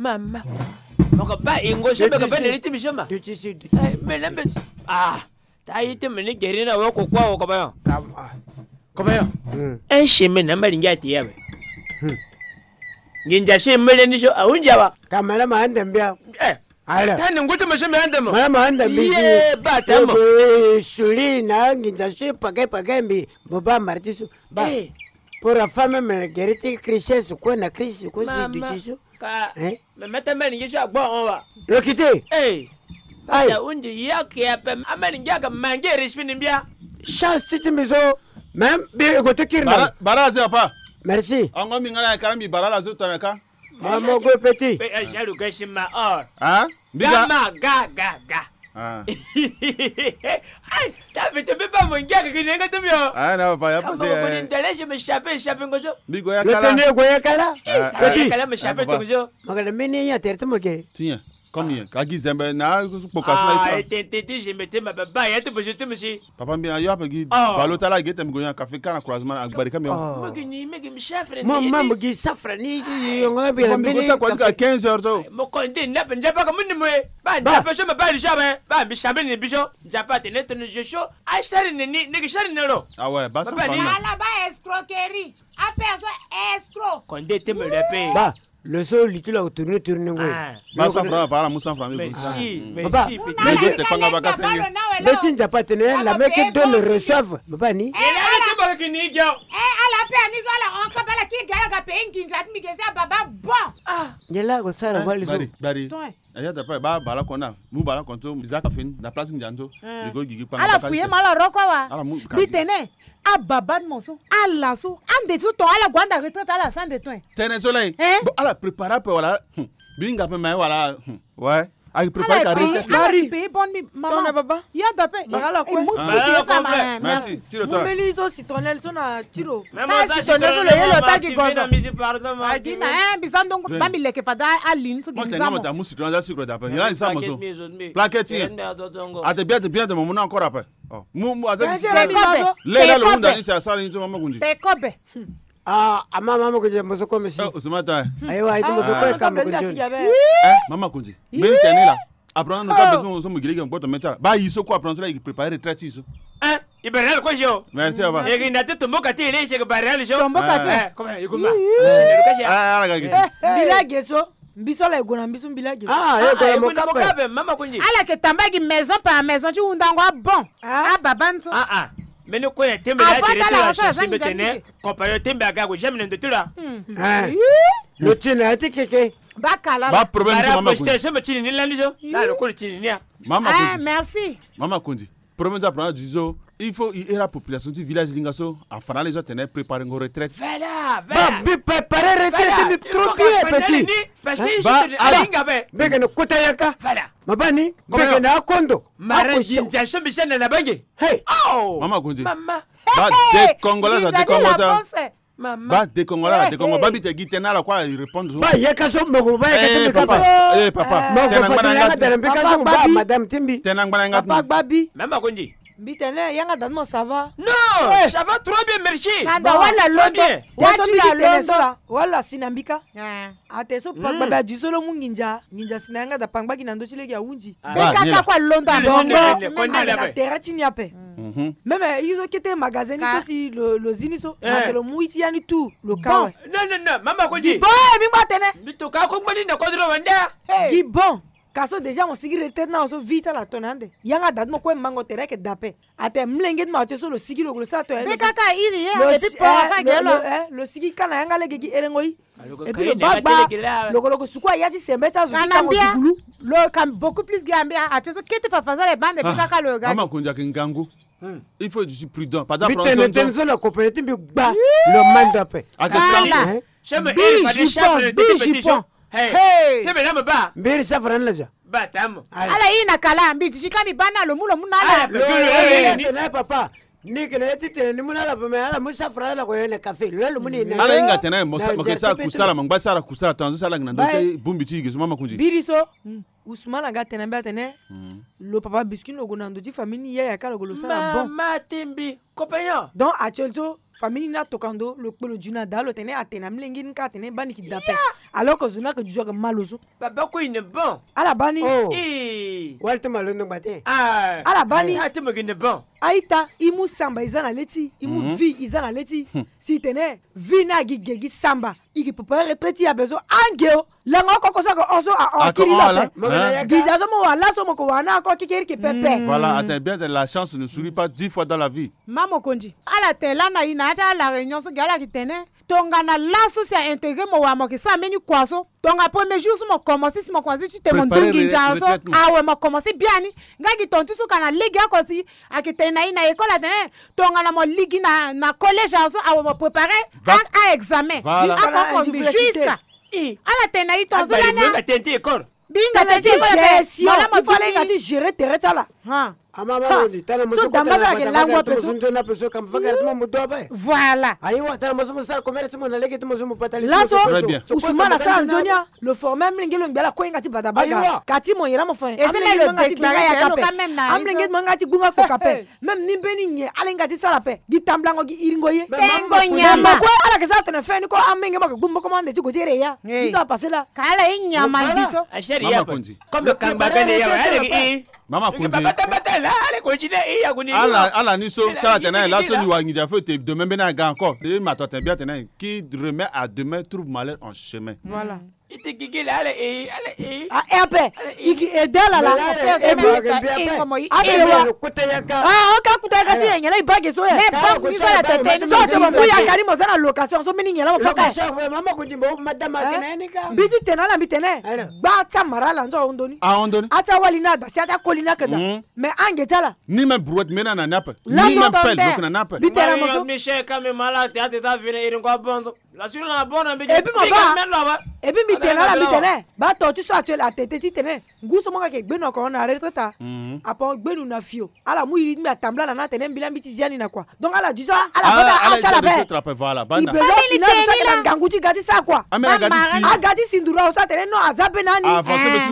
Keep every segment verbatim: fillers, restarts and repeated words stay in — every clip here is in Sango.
Mama. Moko ba ingo so moko ba neri timi so ma. Duti si, duti si. Mele mbe. Ah. Ta ite mene geri na woko kwa woko bayo. Kama. Kobayo. Un chemin na malingi ati yawe. Nginja so mele ni so aunja wa. Kamala ma ande mbia. Eh. Ala. Tani ngutu ma so mi ande mo. Mala ma ande mbisi. Ye ba tamo. Suli na nginja so pake pake mbi. Mo ba martisu. Ba. Pour la femme me geri ti Christian su ko na Christ ko si duti su. Ka. Eh. Me mete mani ngi so agbo on wa. Lokite. Eh. Ai. Ya unji ya ke ape amani ngi aka mangi respect ni mbia. Chance ti ti mbi so. Même bi ko to kiri na. Bara, bara aze apa. Merci. Ango mi ngana kala mi bara la zo tona ka. Mama go petit. Pe a jalu gashi ma or. Hein? Mbiga. Gama ga ga ga. Ah. Ai, ta vite mbi ba mo ngi aka kini nga tumi o. Ah, na pa ya pa se. Mo ko ni tele je me chape chape ngozo. Mbigo ya kala. Tene go ya kala. Petit. Kala me chape to ngozo. Magana mini ya tere to mo ke. Tiens. Comme il y a kaki zembe na kpoka sina. Ah, tete ti je me te ma ba ya to bojo to musi. Papa mbi na yo ape gi balo tala gi temi go yan kafe kana croisement agbari kami o. Mo gi ni me gi mi chef re. Mo ma mo gi safra ni yo nga bi. Mo mi go sa kwa ka quinze heures to. Mo konde na pe njapa ka mundi mo e. Ba njapa so ma ba di so ba. Ba mi sabe ni biso. Njapa te ne to ni je so. Ai sari ni ni ni sari ni ro. Ah ouais, ba sa ni. Ala ba escroquerie. Ape so escroc. Konde te me le pe. Ba. Le so li ti lo tourne tourne ngoi. Ba cent francs pa ala mu cent francs mi. Mais si, mais si, petit. Te panga ba ka senge. Beti njapa tene la mec qui donne reçoive. Baba ni. Ele ala ti baka kini gyo. Eh, ala pe ani zo ala on ka bala ki gara ga pe nginja mi gese baba bon. Ah. Ngela go sara wali zo. Bari, bari. Aya da pa ba bala kona. Mu bala konto mi za ka fin na place nginja nto. Mi go gigi panga. Ala fuye ma ala roko wa. Ala mu. Bitene. Ababa ni mo so ala so ande so ton ala gue ande retraite ala sa ande ton. Tene so lay. Bon ala prépare ape wala. Bi nga pe me wala. Ouais. Ayi prépare ka retraite. Ala paye bon mi mama. Ton baba. Ya da pe. Ala ko. Merci. Tiro to. Meli so citronelle so na tiro. Même ça citronelle so le yelo ta ki gozo. Adina eh bizando ba mi leke fada alin so. Mo tene mo ta mu citronelle za sucre da pe. Yala isa mo so. Plaquette. Ate bien te bien te mo mu na encore ape. Oh, mu mu aza. Lele lo hunda ni sa sala ni to mama kundi. Te kobe. Ah, ama mama kundi mo so comme si. Oh, usmata. Ayo ayi mo so ko ka mo kundi. Eh, mama kundi. Mbe tene la. Apprendre no ka besoin so mo gile ke ngboto me tala. Ba yi so ko apprendre la yi préparer retraite yi so. Eh, i barel ko jo. Merci aba. E ginda te tumbo ka ti ile se ke barel jo. Tumbo ka ti. Eh, comment il commence. Ah, la ga gisi. Bila geso. Mbi so ala e gue na mbi so mbi laa ge. Ah, e gue na mo kape. Mama kundi. Ala yeke tamba gi maison par maison ti hundango abon. Ababa ni so. Ah ah. Mbeni kue na tembe na ya tere ti la change mbi tene. Compagnon tembe aga ague jamais na ndo ti la. Lo ti na ya ti keke. Bakala la. Ba problème ti mama kundi. Bara postation mbi ti ni ni landi so. La lo kolo ti ni ni a. Mama kundi. Merci. Mama kundi. Premier ti apprendre du zo il faut i iri apopulation ti village linga so afa na ala e zo atene préparengo retraite. Voilà, voilà. Ba mbi préparer retraite ni trop bien petit. Parce que ba ala mbege na kota yaka. Voilà. Ma ba ni mbege na akondo. Mara nginza so mbi sene na bange. Hey. Oh. Mama kundi. Mama. Ba dekongo la za dekongo za. Ba dekongo la dekongo ba mbi te gi tene ala kue ala répondre so. Ba yeka so moko ba yeka so mbi ka so. Eh papa. Moko tena ngbana nga dala mbi ka so ba madame ti mbi. Tena ngbana nga. Papa gbabi. Mama kundi. Mbi tene yanga da ni mo ça va? Non, ça va trop bien merci. Nanda wala londo. Wa so mbi ti tene so la wala si na mbi ka. Ate so pangba be adi so lo mu nginza. Nginza si na yanga da pangba gi na ndö ti lege ahunzi. Be kaka kue alondo abongo. Meme na tere ti ni ape. Meme ye so kete magasin ni so si lo zi ni so ate lo mu ye ti ya ni tout lo ka awe. Non non non mama kundi. Bon mi ngba tene. Mbi to ka kongba ni na kodro wande. Gi bon. Ka so déjà mo sigi retraite na so vie ti ala tone ande. Yanga da ti mo kue mango tere ayeke da ape. Ate mlenge ti ma ate so lo sigi lo lo sara to. Be kaka iri ye et puis port afa ge lo. Lo sigi ka na yanga lege gi erengo yi. Et puis lo bagba lo ko lo ko suku aya ti sembe ti azo ti kango sukulu. Lo ka beaucoup plus ge ambia ate so kete fafa sara e bande be kaka lo ga. Mama kundi ayeke ngangu. Il faut je suis prudent. Par exemple, mbi tene tene so na compagnie ti mbi gba lo mando ape. Ake sala. Sema eri fade chapre de ti petit so. Hey. Tebe na mo ba. Mbiri safara na ja. Ba tamo. Ala yi na kala mbi ti ka mbi ba na lo mu lo mu na ala. Lo yi na papa. Ni kene ye ti tene ni mu na ala papa ala mu safara ala ko ye na café. Lo lo mu ni na. Ala inga tene mo sa mo ke sa kusala mo ngba sara kusala tanzo sala ngina ndo te bumbi ti ge so mama kundi. Biri so. Ousmane aga tene na mbi atene, lo papa Biscuit lo gue na ndo ti famille ni, yaya kâ lo gue lo sara bon. Mama Timbi, compagnon. Donc actuel so famille ni atokua ndo, lo kpe lo dju na da, lo tene atene amolenge ni kâ atene baa ni yeke da ape. Alors que zo ni ayeke dju ayeke ma lo so. Baba kue il n'est bon. Ala baa ni. Oh. Eh. Wali ti ma lo ndo ngba te. Ah. Ala baa ni. Ah, ti ma lo ndo bon. A-ita, e mu samba e za na lê ti e, e mu vie e za na lê ti e. Si e tene vie ni agi ge gi samba, e yeke préparer retraite ti e ape so. Ange o, lango oko oko so ayeke hon so ahon akiri la ape. Gi da so mo wara laso mo yeke wara ni ako kekereke pepe. Voilà, atene bien, la chance ne sourit pas dix fois dans la vie. Mama mokonzi, ala tene lani na e na ya ti ala réunion so gi ala yeke tene tongana laso si a intégrer mo wara mo yeke sara mbeni kua so. Tongana premier jour so mo commencer, si mo commencer ti tene mo ndungi nzara so, awe mo commencer biani. Nga gi tonga ti so ka na lege oko si ayeke tene na e na école atene tongana mo ligi na, na collège awe so, awe mo préparer a, a examen. Voilà. Jusqu'à la université. Jusqu'à. Ala tene na e tonga so lani. Mbi hinga tene ti école ape. Gestion. Il fallait hinga ti gérer tere ti ala. Ha. Ama ma woni tala mo so damba kota na sara ke bata lango ape so. Nzoni ape so kam fanga ti mo mo do ape. Voilà. Ayiwa, tala mo so mo sara commerce mo na lege ti mo so mo patali. Laso Ousmane asara nzoni a, lo former amolenge lo ngbi ala kue hinga ti bata baga. Ayiwa. Ka ti mo yere mo fa. Amolenge ti mo hinga ti gbunga kpoka ape. Même ni mbeni nyen ala hinga ti sara ape. Gi tambulango gi iringo ye. Tengo nyama. Kue ala yeke sara tene fin ni ko amolenge mo yeke gbu mboko mo ande ti gue ti ere ya. Biso apasse la. Ka ala ye nyama biso. Mama Konzi. Comme le kangba kende ya, ale ki i. Mama Konzi. Bata bata la, ale Konzi de i ya kuni. Ala, ala ni so ti ala tene laso ni wa nginza feu te demain mbeni aga encore. E ma to atene bien atene qui remet à demain trouve malheur en chemin. Voilà. Ite gigi la, ale i, ale i. A e ape. I ki aide ala la. E bi. A se wa. Ah, o ka kuta yaka ti nyen la i bage so ye. Mais bon, ni so la tete ni so te mo mu yaka ni mo za na location so mbeni nyen la mo fa ka. Mama Konzi mo madame akena ni ka. Mbi ti tene ala mbi tene. Gba ti amara ala nzo ahon ndo ni. Ahon ndo ni. A ti awali ni ada si a ti akoli ni ayeke daa. Mais ange ti ala. Ni même brouette mbeni na ni ape. Ni même pelle lo yeke na ni ape. Mbi tene na mo so. Michel ka mbi ma ala te a tete avene iri ngo abondo. La sur la bonne mbi. Et puis mo ba. Et puis mbi tene na ala mbi tene. Ba to ti so actuel atete ti tene. Ngu so mo nga yeke gbe no oko na retraite. Apo gbe no na fio. Ala mu iri ti mbi atambula ala na atene mbi la mbi ti zia ni na kua. Donc ala du so ala fata asara ape. I besoin finance so sara na ngangu ti ga ti sara kua. Aga ti sinduru awe so atene non aza be na ni.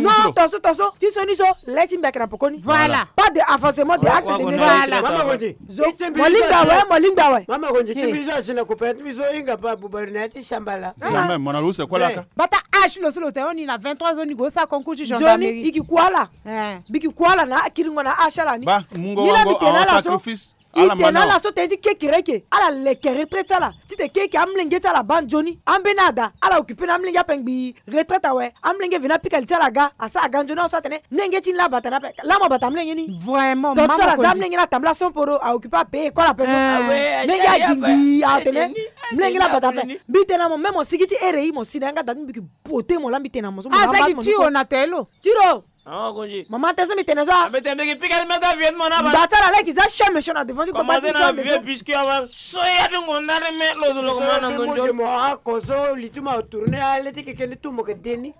Non tonso tonso ti so ni so le ti mbi ayeke na pokoni. Voilà. Pas de avancement de acte de naissance. Zo mo lingbi awe, mo lingbi awe. Mama Konzi ti mbi so asi na kopera ti mbi so hinga pa bubari na ya ti sambala. Jamais, mo na lo use kue laka. Bata âge lo so lo tene ni na vingt-trois ans ni go sara concours ti gendarmerie. Nzoni i ki kua ala. Mbi ki kua ala na akiringo na âge ala ni. Ba mungo. Ni la mbi tene ala so. I tene ala so tene ti keke reke ala leke retraite ti ala. Ti tene keke amolenge ti ala baa nzoni ambeni ada ala occuper na amolenge ape ngbii. Retraite awe. Amolenge veni apika li ti ala ga asara aga nzoni awe so atene mlenge ti ni la abata na ape. Laa mo bata mlenge ni. Vraiment. Donc so ala za mlenge ni atambula somporo aoccuper apayer école ape so. Mlenge agi ngbii atene mlenge ni abata ape. Mbi tene na mo même mo sigi ti ere i mo si na yanga da ti mbi ki bote mo la mbi tene na mo so mo aza gi tiro na telo. Tiro. Mama te so mbi tene so. Mba ti ala leki za chien méchant na devant ti kpakpa ti so ande so. Puisque awa so ya ti ngonda ni me lo zo lo ko ma na ndo njo. Mo ako so li ti mo atourner ale ti keke ni tu mo ke deni.